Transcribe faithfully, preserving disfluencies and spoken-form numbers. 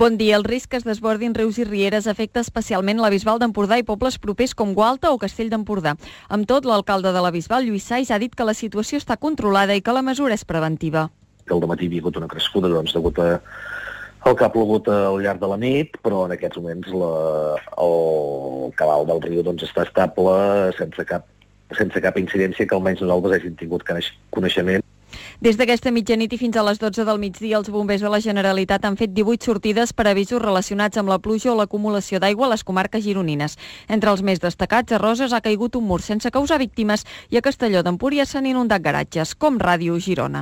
Bon dia. El risc que es desbordin rius i rieres afecta especialment la Bisbal d'Empordà i pobles propers com Gualta o Castell d'Empordà. Amb tot, l'alcalde de la Bisbal, Lluís Sais, ha dit que la situació està controlada i que la mesura és preventiva. Que al dematí hi havia hagut una crescuda, doncs, degut a el que ha plogut al llarg de la nit, però en aquests moments la, el cabal del riu doncs, està estable, sense cap, sense cap incidència que almenys nosaltres hagin tingut coneixement. Des d'aquesta mitjanit i fins a les dotze del migdia, els bombers de la Generalitat han fet divuit sortides per avisos relacionats amb la pluja o l'acumulació d'aigua a les comarques gironines. Entre els més destacats, a Roses ha caigut un mur sense causar víctimes i a Castelló d'Empúries s'han inundat garatges, com Ràdio Girona.